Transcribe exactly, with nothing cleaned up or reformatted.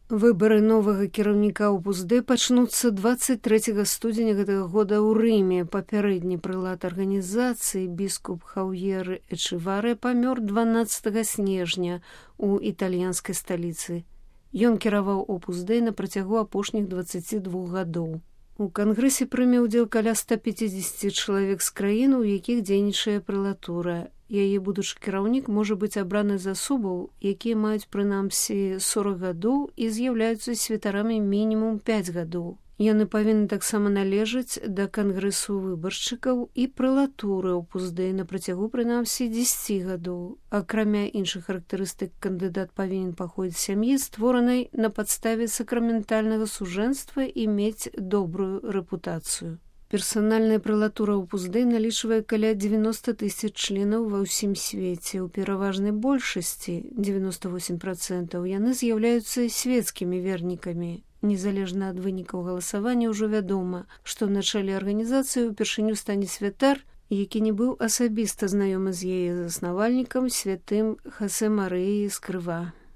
Выбары новага кіраўніка ОПУЗД пачнуцца дваццаць трэцяга студзеня гэтага года ў Рыме. Папярэдні прылад арганізацыі біскуп Хаўер Эчеваре памёр дванаццатага снежня у італьянскай сталіцы. Ён кіраваў ОПУЗД на працягу апошніх дваццаці двух гадоў. У кангрэсе прыме ўдзел каля ста пяцідзесяці чалавек з краін, у якіх дзейнічае прэлатура. Яе будучы кіраўнік можа быць абраны з асобаў, якія маюць прынамсі сорак гадоў і з'яўляюцца святарамі мінімум пяць гадоў. Яны павінны таксама належаць да кангрэсу выбаршчыкаў і прэлатуры ОПУЗД на працягу прынамсі дзесяці гадоў. Акрамя іншых характарыстык, кандыдат павінен паходзіць з сям'і, створанай на падставе сакраментальнага сужэнства і мець добрую рэпутацыю. Персанальная прэлатура ОПУЗД налічвае каля дзевяноста тысяч членаў ва ўсім свеце. У пераважнай большасці, дзевяноста восем працэнтаў, яны з'яўляюцца свецкімі вернікамі. Незалежна ад вынікаў галасавання ўжо вядома, што на чале арганізацыі ўпершыню стане святар, які не быў асабіста знаёмы з яе заснавальнікам, святым Хосе Марыяй Эскрыва.